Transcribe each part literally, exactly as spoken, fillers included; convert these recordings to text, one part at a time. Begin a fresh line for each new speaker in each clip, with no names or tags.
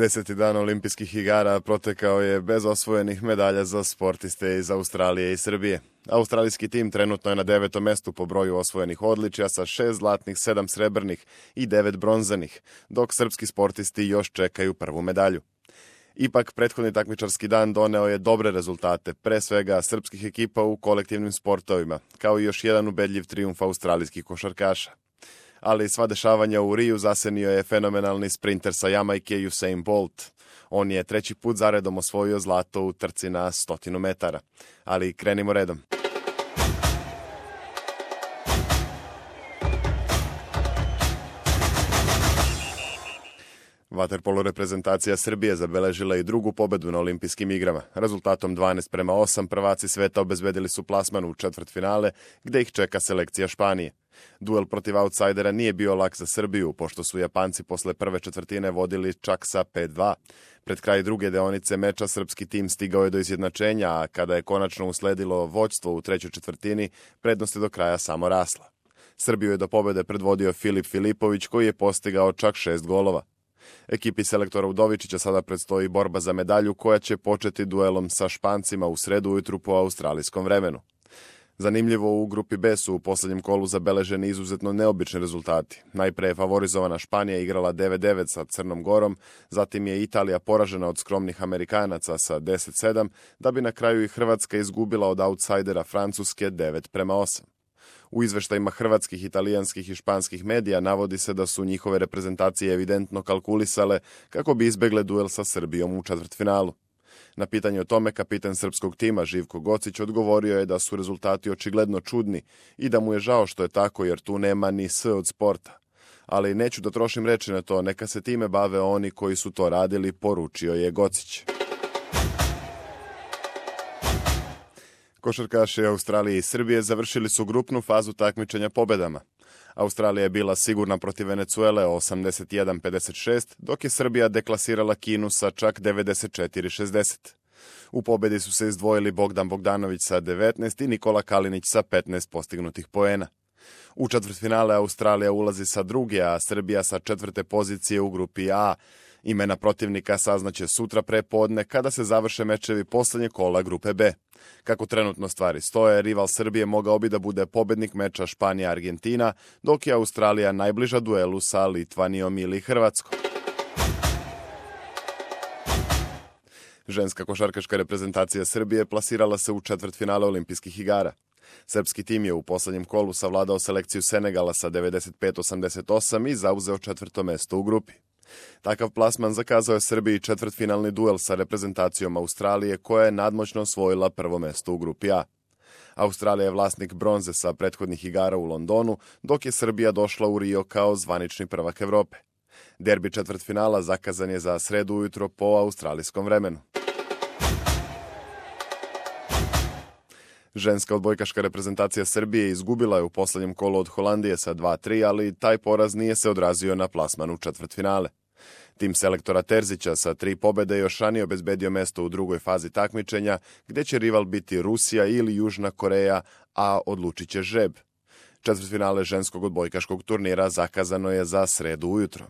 Deseti dan olimpijskih igara protekao je bez osvojenih medalja za sportiste iz Australije i Srbije. Australijski tim trenutno je na devetom mestu po broju osvojenih odličja sa šest zlatnih, sedam srebrnih i devet bronzanih, dok srpski sportisti još čekaju prvu medalju. Ipak, prethodni takmičarski dan doneo je dobre rezultate, pre svega srpskih ekipa u kolektivnim sportovima, kao i još jedan ubedljiv trijumf australijskih košarkaša. Ali sva dešavanja u Riju zasenio je fenomenalni sprinter sa Jamajke Usain Bolt. On je treći put zaredom osvojio zlato u trci na stotinu metara. Ali krenimo redom. Vaterpolo reprezentacija Srbije zabeležila i drugu pobedu na olimpijskim igrama. Rezultatom dvanaest prema osam prvaci sveta obezbedili su plasman u četvrtfinale, gde ih čeka selekcija Španije. Duel protiv autsajdera nije bio lak za Srbiju, pošto su Japanci posle prve četvrtine vodili čak sa pet dva. Pred kraj druge deonice meča srpski tim stigao je do izjednačenja, a kada je konačno usledilo vođstvo u trećoj četvrtini, prednost je do kraja samo rasla. Srbiju je do pobede predvodio Filip Filipović, koji je postigao čak šest golova. Ekipi selektora Udovičića sada predstoji borba za medalju, koja će početi duelom sa Špancima u sredu ujutru po australijskom vremenu. Zanimljivo, u grupi B su u poslednjem kolu zabeleženi izuzetno neobični rezultati. Najpre je favorizovana Španija igrala devet devet sa Crnom Gorom, zatim je Italija poražena od skromnih Amerikanaca sa deset sedam, da bi na kraju i Hrvatska izgubila od autsajdera Francuske devet prema osam. U izveštajima hrvatskih, italijanskih i španskih medija navodi se da su njihove reprezentacije evidentno kalkulisale kako bi izbegle duel sa Srbijom u četvrtfinalu. Na pitanje o tome kapitan srpskog tima Živko Gocić odgovorio je da su rezultati očigledno čudni i da mu je žao što je tako jer tu nema ni S od sporta. Ali neću da trošim reči na to, neka se time bave oni koji su to radili, poručio je Gocić. Košarkaši Australije i Srbije završili su grupnu fazu takmičenja pobedama. Australija je bila sigurna protiv Venecuele osamdeset jedan pedeset šest, dok je Srbija deklasirala Kinu sa čak devedeset četiri šezdeset. U pobedi su se izdvojili Bogdan Bogdanović sa devetnaest i Nikola Kalinić sa petnaest postignutih poena. U četvrtfinale Australija ulazi sa druge, a Srbija sa četvrte pozicije u grupi A. Imena protivnika saznaće sutra pre podne kada se završe mečevi poslednje kola grupe B. Kako trenutno stvari stoje, rival Srbije mogao bi da bude pobednik meča Španija-Argentina, dok je Australija najbliža duelu sa Litvanijom ili Hrvatskom. Ženska košarkaška reprezentacija Srbije plasirala se u četvrtfinale olimpijskih igara. Srpski tim je u poslednjem kolu savladao selekciju Senegala sa devedeset pet osamdeset osam i zauzeo četvrto mesto u grupi. Takav plasman zakazao je Srbiji četvrtfinalni duel sa reprezentacijom Australije, koja je nadmoćno osvojila prvo mesto u grupi A. Australija je vlasnik bronze sa prethodnih igara u Londonu, dok je Srbija došla u Rio kao zvanični prvak Evrope. Derbi četvrtfinala zakazan je za sredu ujutro po australijskom vremenu. Ženska odbojkaška reprezentacija Srbije izgubila je u poslednjem kolu od Holandije sa dva tri, ali taj poraz nije se odrazio na plasman u četvrtfinale. Tim selektora Terzića sa tri pobede još ranije obezbedio mesto u drugoj fazi takmičenja, gde će rival biti Rusija ili Južna Koreja, a odlučit će žreb. Četvrtfinale ženskog odbojkaškog turnira zakazano je za sredu ujutro.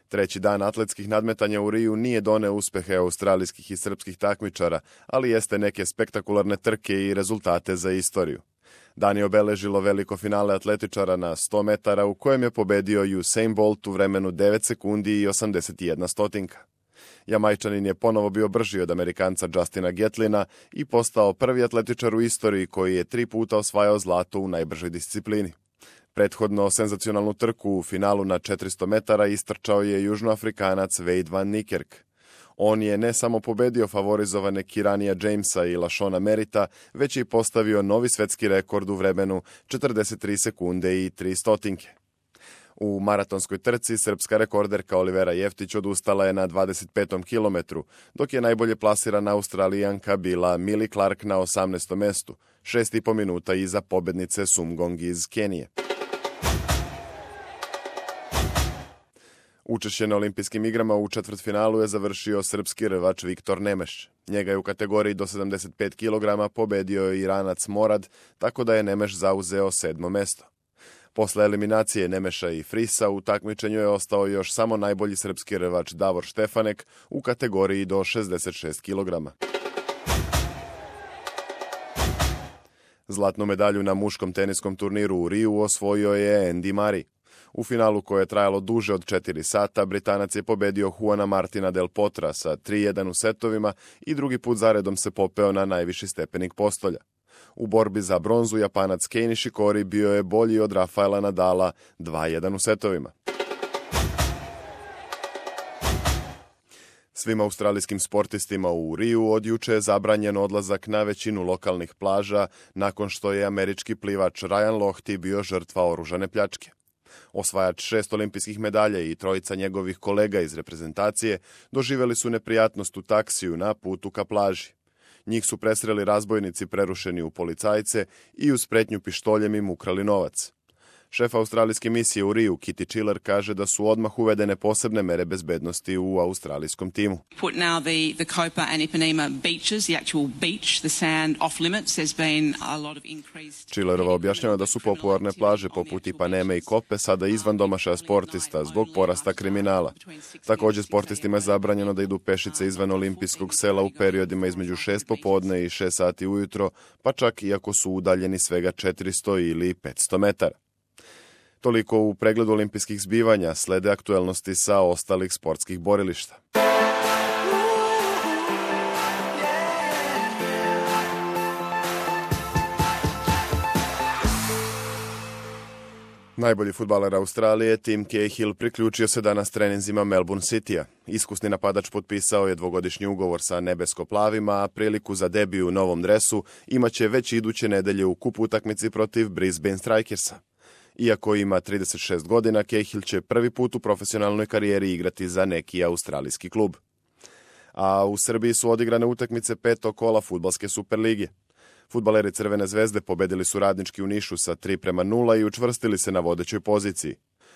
Treći dan atletskih nadmetanja u Riju nije doneo uspehe australijskih i srpskih takmičara, ali jeste neke spektakularne trke i rezultate za istoriju. Dan je obeležilo veliko finale atletičara na sto metara u kojem je pobedio Usain Bolt u vremenu devet sekundi i osamdeset jedna stotinka. Jamajčanin je ponovo bio brži od Amerikanca Justina Gatlina i postao prvi atletičar u istoriji koji je tri puta osvajao zlato u najbržoj disciplini. Prethodno senzacionalnu trku u finalu na četiristo metara istrčao je Južnoafrikanac Wade van Niekerk. On je ne samo pobedio favorizovane Kiranija Jamesa i Lashona Merita, već je i postavio novi svetski rekord u vremenu četrdeset tri sekunde i tri stotinke. U maratonskoj trci srpska rekorderka Olivera Jeftić odustala je na dvadeset petom kilometru, dok je najbolje plasirana Australijanka bila Millie Clark na osamnaestom mestu, šest i po minuta iza pobednice Sumgong iz Kenije. Učešće na olimpijskim igrama u četvrtfinalu je završio srpski rvač Viktor Nemeš. Njega je u kategoriji do sedamdeset pet kilograma pobedio Iranac Morad, tako da je Nemeš zauzeo sedmo mesto. Posle eliminacije Nemeša i Frisa u takmičenju je ostao još samo najbolji srpski rvač Davor Štefanek u kategoriji do šezdeset šest kilograma. Zlatnu medalju na muškom teniskom turniru u Riju osvojio je Andy Murray. U finalu koje je trajalo duže od četiri sata, Britanac je pobedio Juana Martina del Potra sa tri jedan u setovima i drugi put zaredom se popeo na najviši stepenik postolja. U borbi za bronzu Japanac Kei Nishikori bio je bolji od Rafaela Nadala dva jedan u setovima. Svim australijskim sportistima u Riju od juče je zabranjen odlazak na većinu lokalnih plaža nakon što je američki plivač Ryan Lochte bio žrtva oružane pljačke. Osvajač šest olimpijskih medalja i trojica njegovih kolega iz reprezentacije doživjeli su neprijatnost u taksiju na putu ka plaži. Njih su presreli razbojnici prerušeni u policajce i uz pretnju pištoljem im ukrali novac. Šef australijske misije u Riju, Kitty Chiller, kaže da su odmah uvedene posebne mere bezbednosti u australijskom timu.
Put now the, the Copa and Ipanema beaches, the actual beach, the sand off limits. There's been a lot of increased...
Chillerova objašnjava da su popularne plaže poput Ipaneme i Kope sada izvan domašaja sportista zbog porasta kriminala. Također sportistima je zabranjeno da idu pešice izvan olimpijskog sela u periodima između šest popodne i šest sati ujutro, pa čak i ako su udaljeni svega četiristo ili petsto metara. Toliko u pregledu olimpijskih zbivanja, slede aktuelnosti sa ostalih sportskih borilišta. Najbolji fudbaler Australije, Tim Cahill, priključio se danas treninzima Melbourne Citya. Iskusni napadač potpisao je dvogodišnji ugovor sa nebesko-plavima, a priliku za debiju u novom dresu imaće već iduće nedelje u kupu utakmici protiv Brisbane Strikersa. Iako ima trideset šest godina, Cahill će prvi put u profesionalnoj karijeri igrati za neki australijski klub. A u Srbiji su odigrane utakmice petog kola fudbalske Superlige. Fudbaleri Crvene zvezde pobedili su Radnički u Nišu sa tri prema nula i učvrstili se na vodećoj poziciji.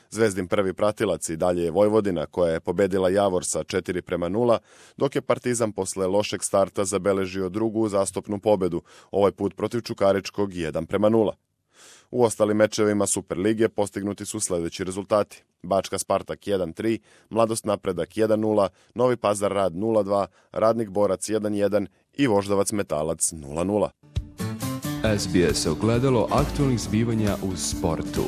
Zvezdin prvi pratilac i dalje je Vojvodina, koja je pobedila Javor sa četiri prema nula, dok je Partizan posle lošeg starta zabeležio drugu uzastopnu pobedu, ovaj put protiv Čukaričkog jedan prema nula. U ostalim mečevima Superlige postignuti su sljedeći rezultati. Bačka Spartak jedan tri, Mladost Napredak jedan nula, Novi Pazar Rad nula dva, Radnik Borac jedan jedan i Voždovac Metalac nula nula.
S B S ogledalo aktualnih zbivanja u sportu.